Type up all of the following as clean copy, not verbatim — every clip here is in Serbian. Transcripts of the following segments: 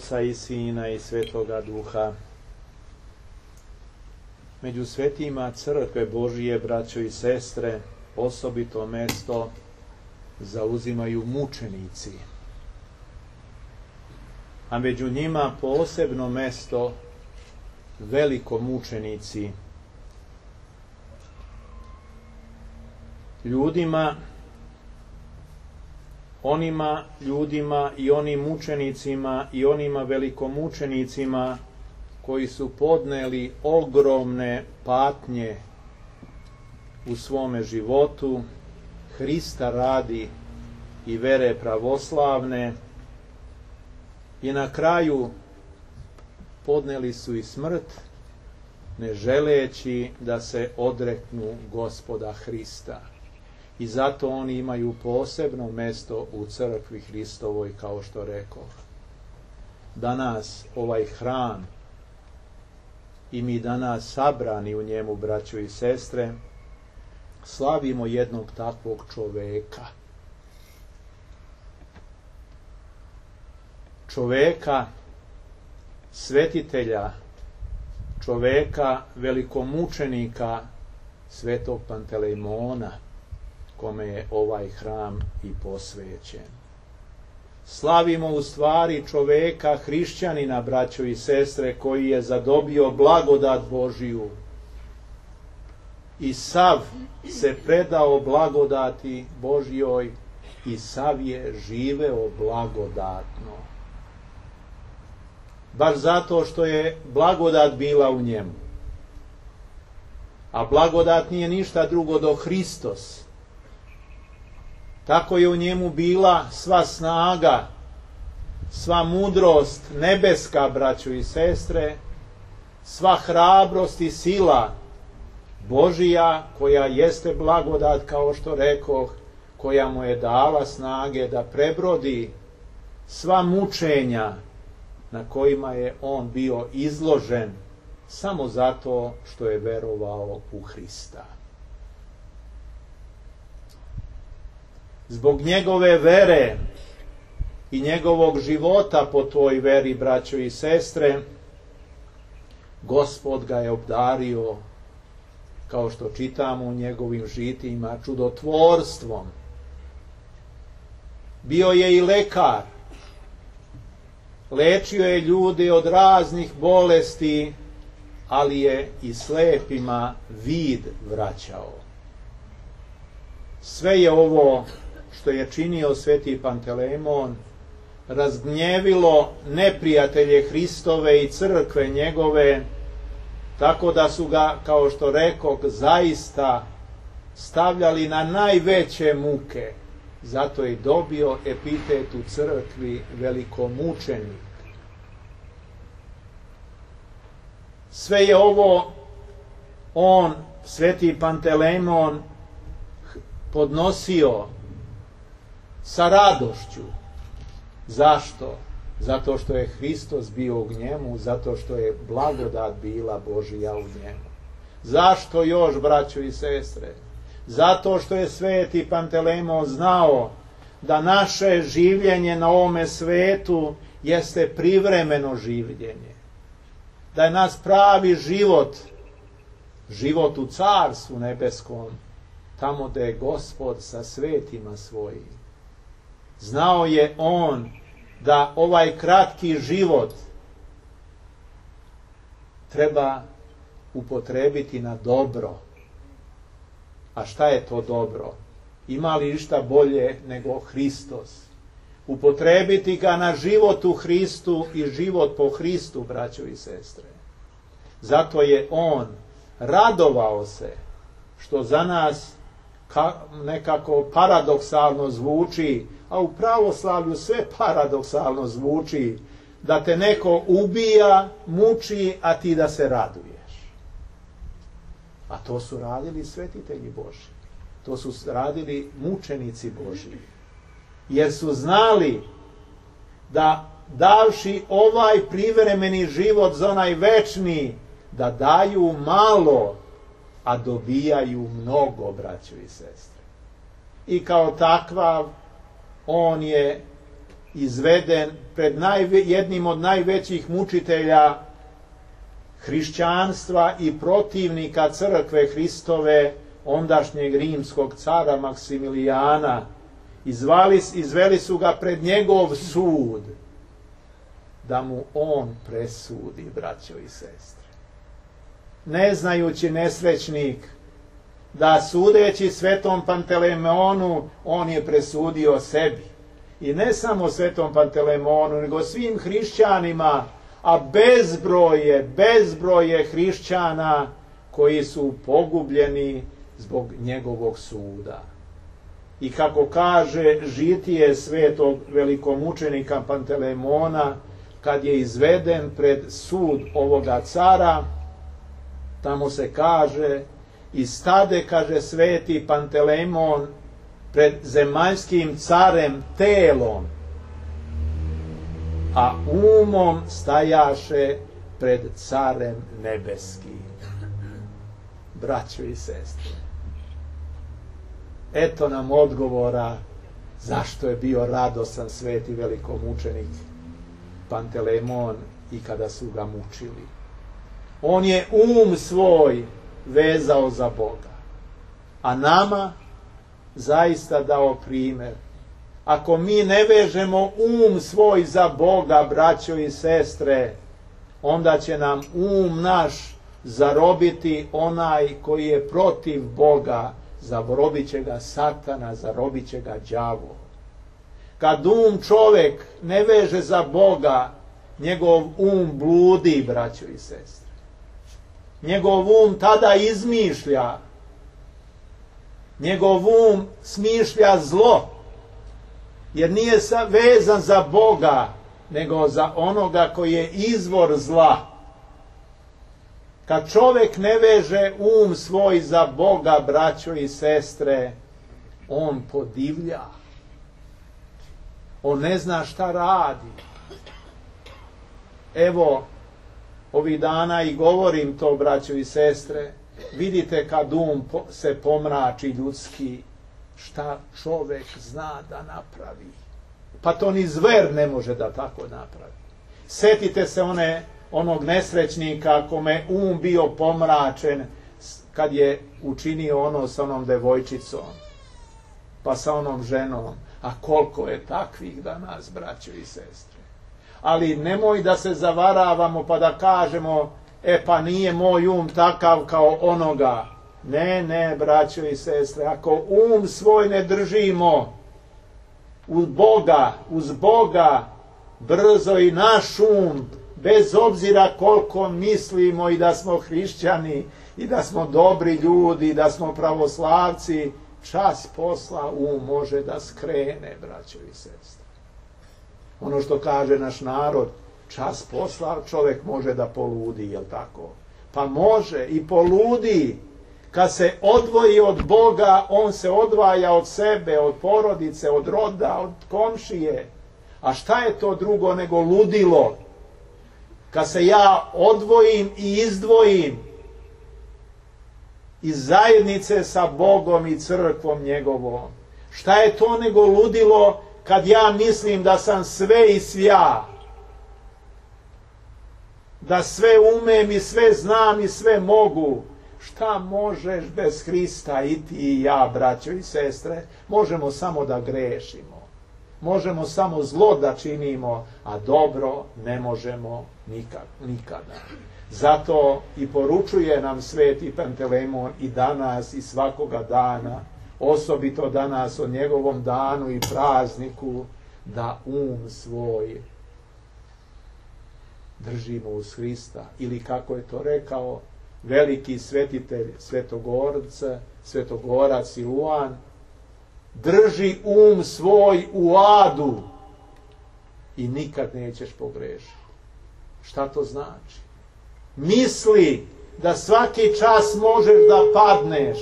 Oca i Sina i Svetoga Duha. Među svetima crkve Božije, braćo i sestre, osobito mesto zauzimaju mučenici. A među njima posebno mesto velikomučenici. Onima ljudima i onim mučenicima i onima velikomučenicima koji su podneli ogromne patnje u svome životu, Hrista radi i vere pravoslavne, i na kraju podneli su i smrt, ne želeći da se odreknu Gospoda Hrista. I zato oni imaju posebno mesto u crkvi Hristovoj, kao što rekoh. Danas ovaj hram i mi danas sabrani u njemu, braćo i sestre, slavimo jednog takvog čoveka. Čoveka, svetitelja, čoveka, velikomučenika, svetog Pantelejmona, kome je ovaj hram i posvećen. Slavimo u stvari čoveka, hrišćanina, braćo i sestre, koji je zadobio blagodat Božiju i sav se predao blagodati Božjoj i sav je živeo blagodatno. Baš zato što je blagodat bila u njemu. A blagodat nije ništa drugo do Hristos. Tako je u njemu bila sva snaga, sva mudrost nebeska, braćo i sestre, sva hrabrost i sila Božija, koja jeste blagodat, kao što rekoh, koja mu je dala snage da prebrodi sva mučenja na kojima je on bio izložen samo zato što je verovao u Hrista. Zbog njegove vere i njegovog života po toj veri, braćo i sestre, Gospod ga je obdario, kao što čitamo u njegovim žitima, čudotvorstvom. Bio je i lekar. Lečio je ljude od raznih bolesti, ali je i slepima vid vraćao. Sve je ovo što je činio sveti Pantelejmon razgnjevilo neprijatelje Hristove i crkve njegove, tako da su ga, kao što rekoh, zaista stavljali na najveće muke. Zato je dobio epitet u crkvi velikomučenik. Sve je ovo on, sveti Pantelejmon, podnosio sa radošću. Zašto? Zato što je Hristos bio u njemu, zato što je blagodat bila Božija u njemu. Zašto još, braćo i sestre? Zato što je sveti Pantelejmon znao da naše življenje na ovome svetu jeste privremeno življenje. Da je nas pravi život, život u Carstvu nebeskom, tamo gde je Gospod sa svetima svojim. Znao je on da ovaj kratki život treba upotrebiti na dobro. A šta je to dobro? Ima li išta bolje nego Hristos? Upotrebiti ga na život u Hristu i život po Hristu, braćo i sestre. Zato je on radovao se, što za nas nekako paradoksalno zvuči, a u pravoslavlju sve paradoksalno zvuči, da te neko ubija, muči, a ti da se raduješ. A to su radili svetitelji Božji. To su radili mučenici Božji. Jer su znali da davši ovaj privremeni život za onaj večni, da daju malo, a dobijaju mnogo, braćo i sestre. I kao takav on je izveden pred jednim od najvećih mučitelja hrišćanstva i protivnika crkve Hristove, ondašnjeg rimskog cara Maksimilijana. Izveli su ga pred njegov sud, da mu on presudi, braćo i sestre. Ne znajući nesrećnik da sudeći svetom Pantelemonu, on je presudio sebi. I ne samo svetom Pantelemonu, nego svim hrišćanima, a bezbroj je hrišćana koji su pogubljeni zbog njegovog suda. I kako kaže žitije svetog velikomučenika Pantelemona, kad je izveden pred sud ovoga cara, tamo se kaže: i stade, kaže sveti Pantelemon, pred zemaljskim carem telom, a umom stajaše pred carem nebeskim. Braćo i sestre, eto nam odgovora zašto je bio radosan sveti velikomučenik Pantelemon i kada su ga mučili. On je svoj vezao za Boga, a nama zaista dao primjer. Ako mi ne vežemo svoj za Boga, braćo i sestre, onda će nam naš zarobiti onaj koji je protiv Boga, zarobit će ga Satana, zarobit će ga đavo. Kad čovjek ne veže za Boga, njegov bludi, braćo i sestre. Njegov tada izmišlja. Njegov smišlja zlo, jer nije vezan za Boga, nego za onoga koji je izvor zla. Kad čovjek ne veže svoj za Boga, braćo i sestre, on podivlja. On ne zna šta radi. Evo, ovih dana i govorim to, braćo i sestre, vidite kad se pomrači ljudski, šta čovjek zna da napravi. Pa to ni zver ne može da tako napravi. Setite se onog nesrećnika kome bio pomračen kad je učinio sa onom devojčicom, pa sa onom ženom. A koliko je takvih danas, braćo i sestre. Ali nemoj da se zavaravamo pa da kažemo: pa nije moj takav kao onoga. Ne, braćo i sestre, ako svoj ne držimo uz Boga, brzo i naš bez obzira koliko mislimo i da smo hrišćani, i da smo dobri ljudi, i da smo pravoslavci, čas posla može da skrene, braćo i sestre. Ono što kaže naš narod, čas posla čovjek može da poludi, jel tako? Pa može i poludi. Kad se odvoji od Boga, on se odvaja od sebe, od porodice, od roda, od komšije. A šta je to drugo nego ludilo? Kad se ja odvojim i izdvojim iz zajednice sa Bogom i crkvom njegovom. Šta je to nego ludilo kad ja mislim da sam sve i svja? Da sve umem i sve znam i sve mogu. Šta možeš bez Hrista, i ti i ja, braćo i sestre? Možemo samo da grešimo. Možemo samo zlo da činimo, a dobro ne možemo nikada. Zato i poručuje nam sveti Pantelemon i danas i svakoga dana, osobito danas o njegovom danu i prazniku, da svoj držimo uz Hrista. Ili kako je to rekao veliki svetitelj Svetogorac Siluan: drži svoj u adu i nikad nećeš pogrešiti. Šta to znači? Misli da svaki čas možeš da padneš,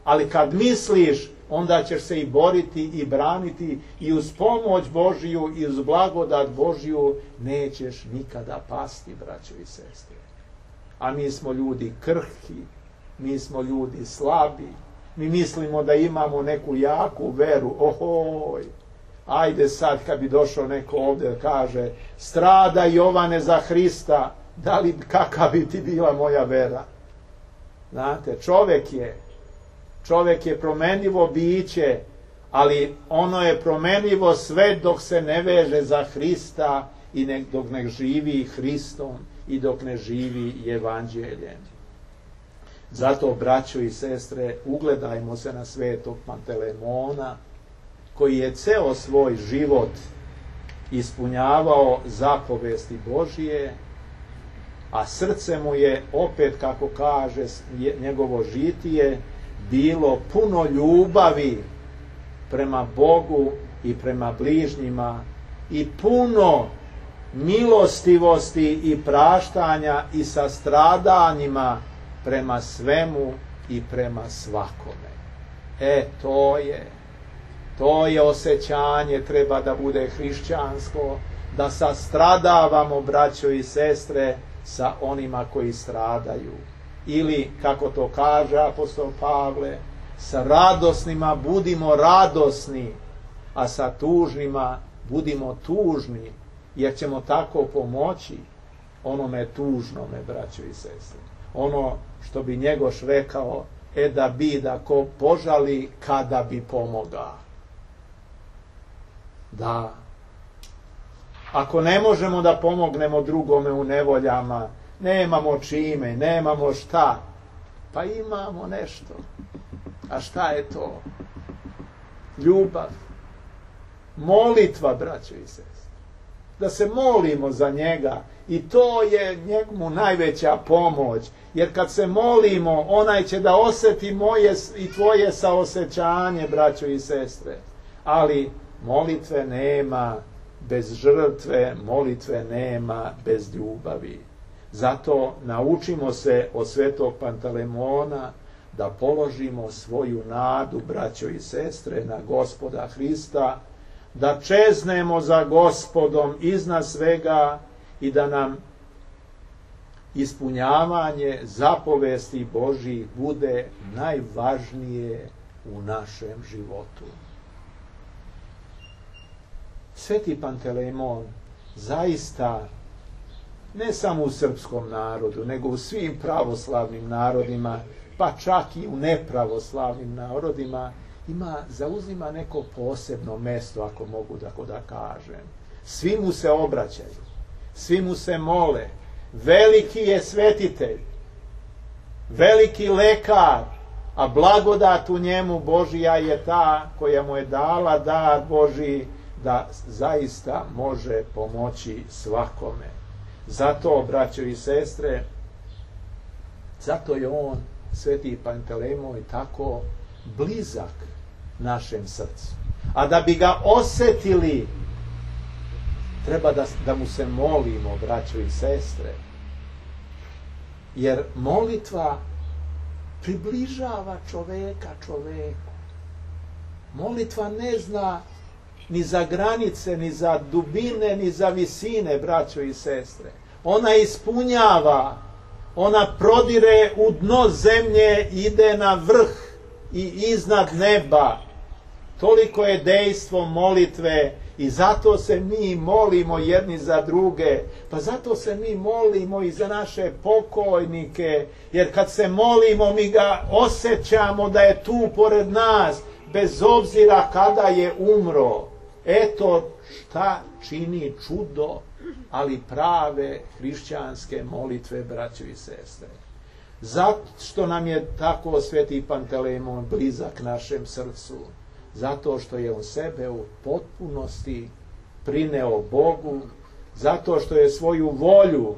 ali kad misliš, onda ćeš se i boriti i braniti i uz pomoć Božiju i uz blagodat Božiju nećeš nikada pasti, braćo i sestre. A mi smo ljudi krhki, mi smo ljudi slabi, mi mislimo da imamo neku jaku veru, Ajde sad kad bi došao neko ovdje kaže strada Jovane za Hrista, da li kakva bi ti bila moja vera? Znate, čovjek je promjenjivo biće, ali ono je promjenjivo sve dok se ne veže za Hrista i dok ne živi Hristom i dok ne živi Evanđeljem. Zato, braćo i sestre, ugledajmo se na svetog Pantelemona, koji je ceo svoj život ispunjavao zapovesti Božije, a srce mu je, opet kako kaže njegovo žitije, bilo puno ljubavi prema Bogu i prema bližnjima i puno milostivosti i praštanja i sastradanjima prema svemu i prema svakome. To je osjećanje, treba da bude hrišćansko, da sastradavamo, braćo i sestre, sa onima koji stradaju. Ili, kako to kaže apostol Pavle, sa radosnima budimo radosni, a sa tužnima budimo tužni, jer ćemo tako pomoći onome tužnome, braćo i sestre. Ono što bi Njegoš rekao, da bi da ko požali kada bi pomoga. Da, ako ne možemo da pomognemo drugome u nevoljama, nemamo čime, nemamo šta, pa imamo nešto. A šta je to? Ljubav. Molitva, braćo i sestre. Da se molimo za njega i to je njemu najveća pomoć. Jer kad se molimo, onaj će da osjeti moje i tvoje saosećanje, braćo i sestre. Ali molitve nema bez žrtve, molitve nema bez ljubavi. Zato naučimo se od svetog Pantelemona da položimo svoju nadu, braćo i sestre, na Gospoda Hrista, da čeznemo za Gospodom iznad svega i da nam ispunjavanje zapovesti Božjih bude najvažnije u našem životu. Sveti Pantelemon zaista ne samo u srpskom narodu, nego u svim pravoslavnim narodima, pa čak i u nepravoslavnim narodima, zauzima neko posebno mesto, ako mogu tako da kažem. Svi mu se obraćaju, svi mu se mole. Veliki je svetitelj, veliki lekar, a blagodat u njemu Božija je ta koja mu je dala dar Božji da zaista može pomoći svakome. Zato, braćo i sestre, zato je on, sveti Pantelemon, tako blizak našem srcu. A da bi ga osjetili, treba da mu se molimo, braćo i sestre. Jer molitva približava čoveka čoveku. Molitva ne zna ni za granice, ni za dubine, ni za visine, braćo i sestre. Ona ispunjava, ona prodire u dno zemlje, ide na vrh i iznad neba. Toliko je dejstvo molitve i zato se mi molimo jedni za druge. Pa zato se mi molimo i za naše pokojnike, jer kad se molimo mi ga osjećamo da je tu pored nas, bez obzira kada je umro. Eto šta čini čudo, ali prave hrišćanske molitve, braćo i sestre. Zašto nam je tako sveti Pantelemon blizak našem srcu? Zato što je on sebe u potpunosti prineo Bogu, zato što je svoju volju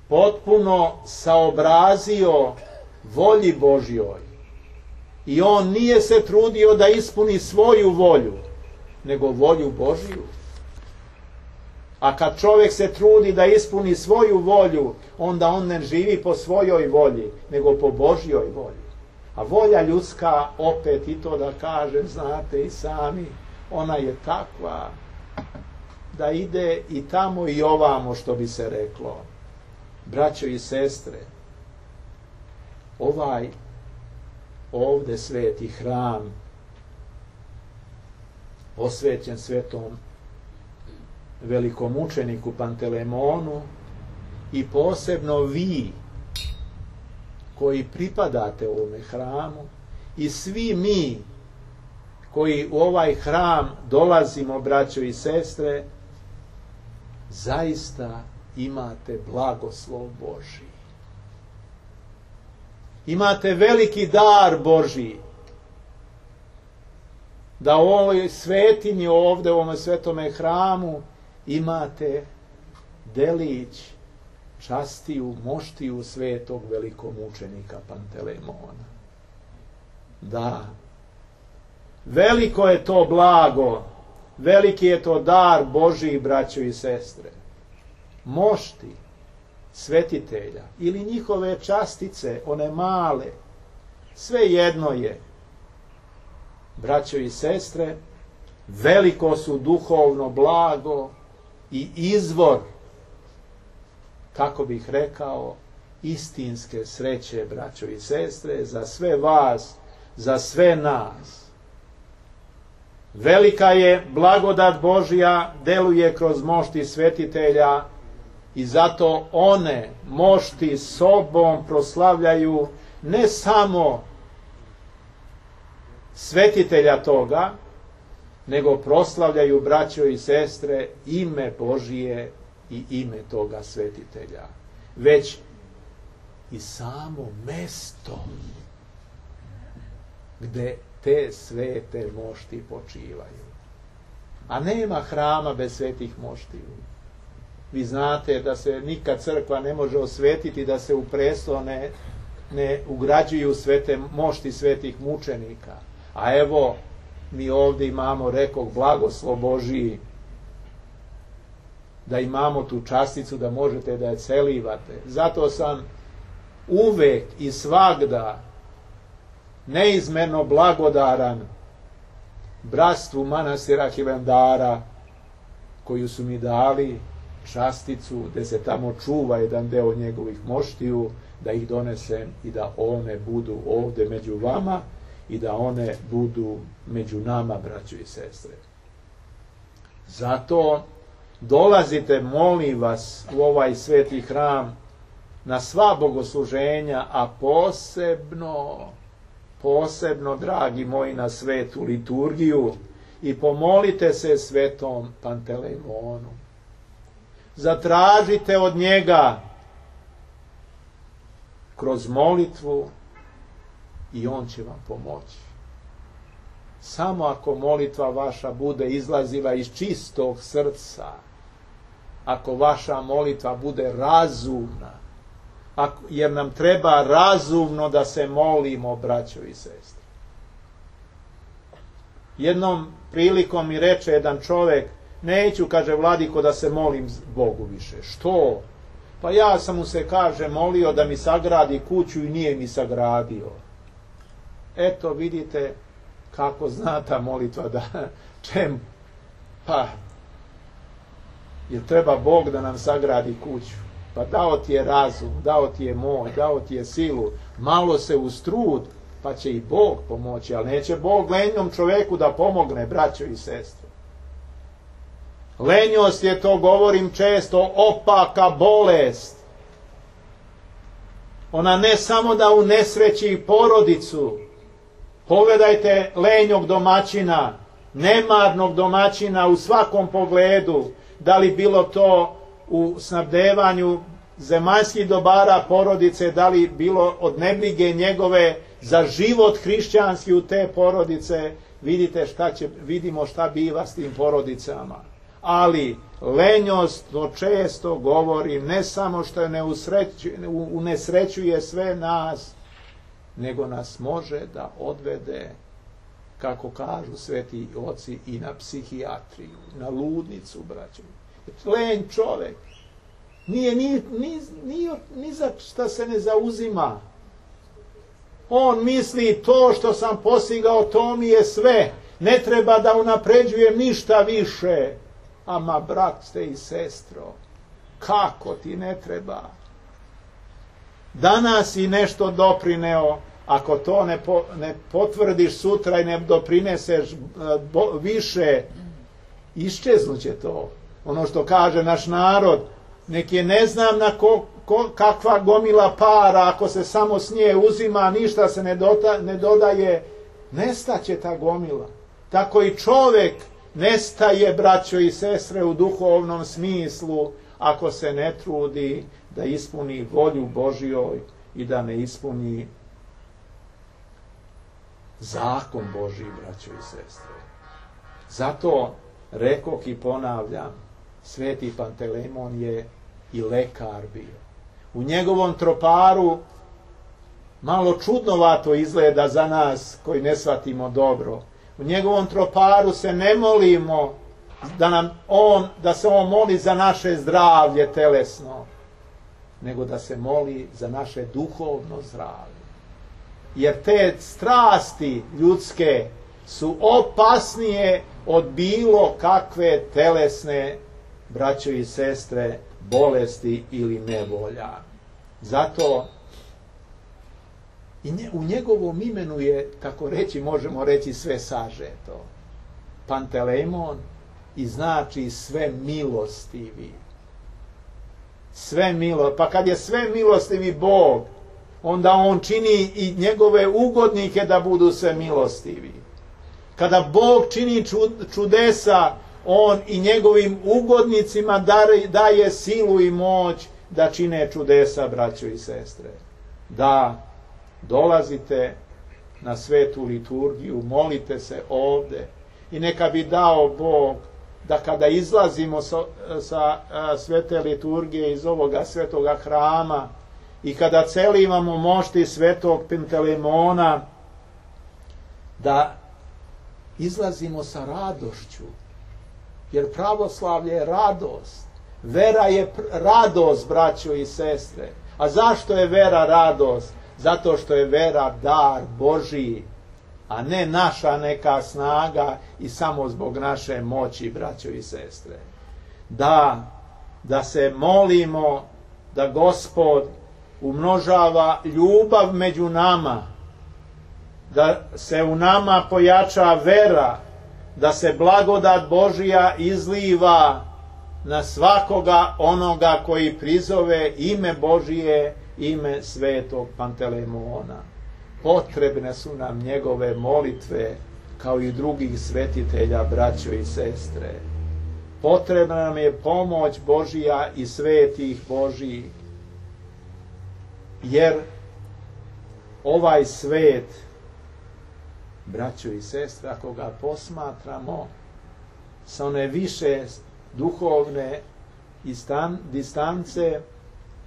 potpuno saobrazio volji Božjoj. I on nije se trudio da ispuni svoju volju, nego volju Božju. A kad čovjek se trudi da ispuni svoju volju, onda on ne živi po svojoj volji, nego po Božjoj volji. A volja ljudska, opet i to da kažem, znate i sami, ona je takva da ide i tamo i ovamo, što bi se reklo. Braćo i sestre, ovdje sveti hram posvećen svetom velikomučeniku Pantelemonu, i posebno vi koji pripadate ovome hramu i svi mi koji u ovaj hram dolazimo, braćo i sestre, zaista imate blagoslov Božji. Imate veliki dar Božji, da u ovoj svetinji ovdje, u ovom svetome hramu, imate delić, častiju, moštiju svetog velikomučenika Pantelemona. Da, veliko je to blago, veliki je to dar Božji, braćo i sestre. Mošti svetitelja ili njihove častice, one male, sve jedno je, braćo i sestre, veliko su duhovno blago i izvor, kako bih rekao, istinske sreće, braćo i sestre, za sve vas, za sve nas. Velika je blagodat Božja, deluje kroz mošti svetitelja, i zato one mošti sobom proslavljaju ne samo svetitelja toga, nego proslavljaju, braćo i sestre, ime Božije i ime toga svetitelja, već i samo mesto gde te svete mošti počivaju. A nema hrama bez svetih moštiju. Vi znate da se nikad crkva ne može osvetiti da se u presto ne ugrađuju svete mošti svetih mučenika. A evo, mi ovdje imamo, rekoh, blagoslov Božiji, da imamo tu časticu da možete da je celivate. Zato sam uvek i svagda neizmerno blagodaran bratstvu manastira Hilandara, koju su mi dali časticu, gde se tamo čuva jedan deo njegovih moštiju, da ih donesem i da one budu ovde među vama i da one budu među nama, braćo i sestre. Zato dolazite, molim vas, u ovaj sveti hram na sva bogosluženja, a posebno, dragi moji, na svetu liturgiju, i pomolite se svetom Pantelemonu. Zatražite od njega kroz molitvu i on će vam pomoći. Samo ako molitva vaša bude izlazila iz čistog srca, ako vaša molitva bude razumna, jer nam treba razumno da se molimo, braćo i sestre. Jednom prilikom mi reče jedan čovek: neću, kaže, vladiko, da se molim Bogu više. Što? Pa ja sam mu se, kaže, molio da mi sagradi kuću i nije mi sagradio. Eto, vidite kako zna ta molitva da čemu? Pa, jer treba Bog da nam sagradi kuću. Pa dao ti je razum, dao ti je moć, dao ti je silu, malo se ustrud, pa će i Bog pomoći, ali neće Bog lenjom čoveku da pomogne, braćo i sestre. Lenjost je, to govorim često, opaka bolest. Ona ne samo da unesreći porodicu. Pogledajte lenjog domaćina, nemarnog domaćina u svakom pogledu, da li bilo to u snabdevanju zemaljskih dobara porodice, da li bilo od nebrige njegove za život hrišćanski u te porodice. Vidimo šta biva s tim porodicama. Ali lenjost, to često govorim, ne samo što unesrećuje sve nas, nego nas može da odvede, kako kažu sveti oci, i na psihijatriju, na ludnicu, braćo. Lenj čovek nije ni za šta se ne zauzima. On misli, to što sam postigao, to mi je sve. Ne treba da unapređujem ništa više. Ama, brate i sestro, kako ti ne treba? Danas si nešto doprineo, ako to ne potvrdiš sutra i ne doprineseš više, iščeznuće to. Ono što kaže naš narod, nek je ne znam na kakva gomila para, ako se samo s nje uzima, ništa se ne dodaje, nestaće ta gomila. Tako i čovjek nestaje, braćo i sestre, u duhovnom smislu, ako se ne trudi da ispuni volju Božjoj i da ne ispuni zakon Božji, braćo i sestre. Zato rekoh i ponavljam, Sveti Pantelemon je i lekar bio. U njegovom troparu malo čudnovato izgleda za nas koji ne shvatimo dobro. U njegovom troparu se ne molimo da se on moli za naše zdravlje telesno, nego da se moli za naše duhovno zdravlje. Jer te strasti ljudske su opasnije od bilo kakve telesne, braćo i sestre, bolesti ili nevolja. Zato u njegovom imenu je, tako reći, možemo reći, sve sažeto. Pantelemon i znači sve milostivi. Pa kad je sve milostivi Bog, onda on čini i njegove ugodnike da budu sve milostivi. Kada Bog čini čudesa, on i njegovim ugodnicima daje silu i moć da čine čudesa, braćo i sestre. Da dolazite na svetu liturgiju, molite se ovde i neka bi dao Bog da kada izlazimo sa svete liturgije iz ovoga svetoga hrama i kada celivamo mošti svetog Pantelemona, da izlazimo sa radošću. Jer pravoslavlje je radost. Vera je radost, braćo i sestre. A zašto je vera radost? Zato što je vera dar Božiji, a ne naša neka snaga i samo zbog naše moći, braćo i sestre. Da se molimo da Gospod umnožava ljubav među nama, da se u nama pojača vera, da se blagodat Božija izliva na svakoga onoga koji prizove ime Božije, ime svetog Pantelemona. Potrebne su nam njegove molitve, kao i drugih svetitelja, braćo i sestre. Potrebna nam je pomoć Božija i svetih Božijih, jer ovaj svet, braćo i sestre, ako ga posmatramo sa one više duhovne distance,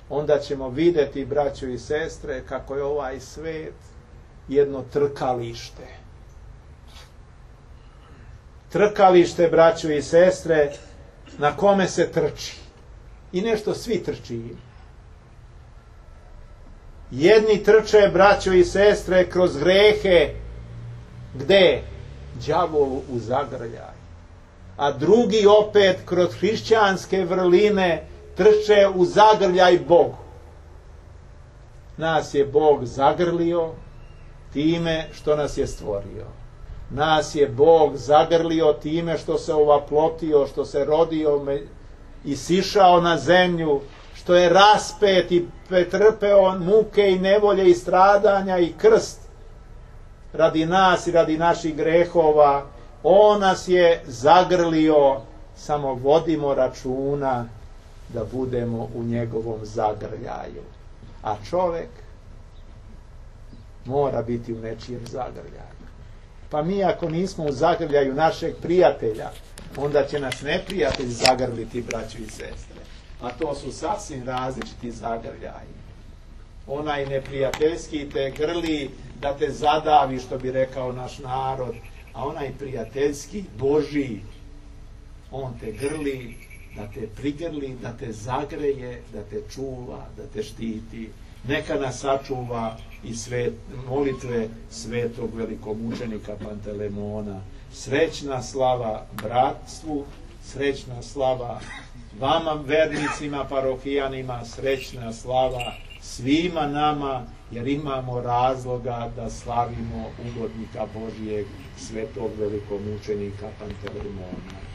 onda ćemo vidjeti, braćo i sestre, kako je ovaj svet jedno trkalište. Trkalište, braćo i sestre, na kome se trči. I nešto svi trči. Jedni trče, braćo i sestre, kroz grehe, gde? Đavolu u zagrljaj. A drugi opet kroz hrišćanske vrline trče u zagrljaj Bogu. Nas je Bog zagrlio time što nas je stvorio. Nas je Bog zagrlio time što se ovaplotio, što se rodio i sišao na zemlju, što je raspet i pretrpeo muke i nevolje i stradanja i krst radi nas i radi naših grehova. On nas je zagrlio, samo vodimo računa da budemo u njegovom zagrljaju. A čovjek mora biti u nečijem zagrljaju. Pa mi ako nismo u zagrljaju našeg prijatelja, onda će nas neprijatelj zagrliti, braćo i sestre. A to su sasvim različiti zagrljaji. Onaj neprijateljski te grli da te zadavi, što bi rekao naš narod, a onaj prijateljski, Božji, on te grli, da te prigrli, da te zagreje, da te čuva, da te štiti. Neka nas sačuva i molitve svetog velikomučenika Pantelemona. Srećna slava bratstvu, srećna slava. Vama vernicima, parohijanima, srećna slava. Svima nama, jer imamo razloga da slavimo ugodnika Božijeg, svetog velikomučenika Panteleimona.